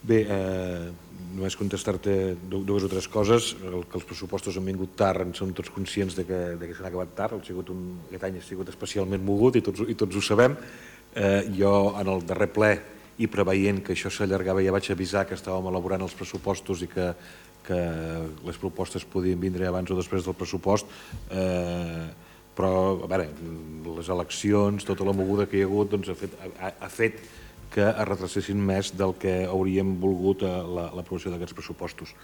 Bé, només contestar-te dues o tres coses. Que els pressupostos han vingut tard, en som tots conscients que s'han acabat tard. Aquest any ha sigut especialment mogut i tots ho sabem. Jo, en el darrer ple, i preveient que això s'allargava, ja vaig avisar que estàvem elaborant els pressupostos i que les propostes podien vindre abans o després del pressupost, però a veure, les eleccions, tota la moguda que hi ha hagut ha fet que es retrasessin més del que hauríem volgut l'aprovació d'aquests pressupostos.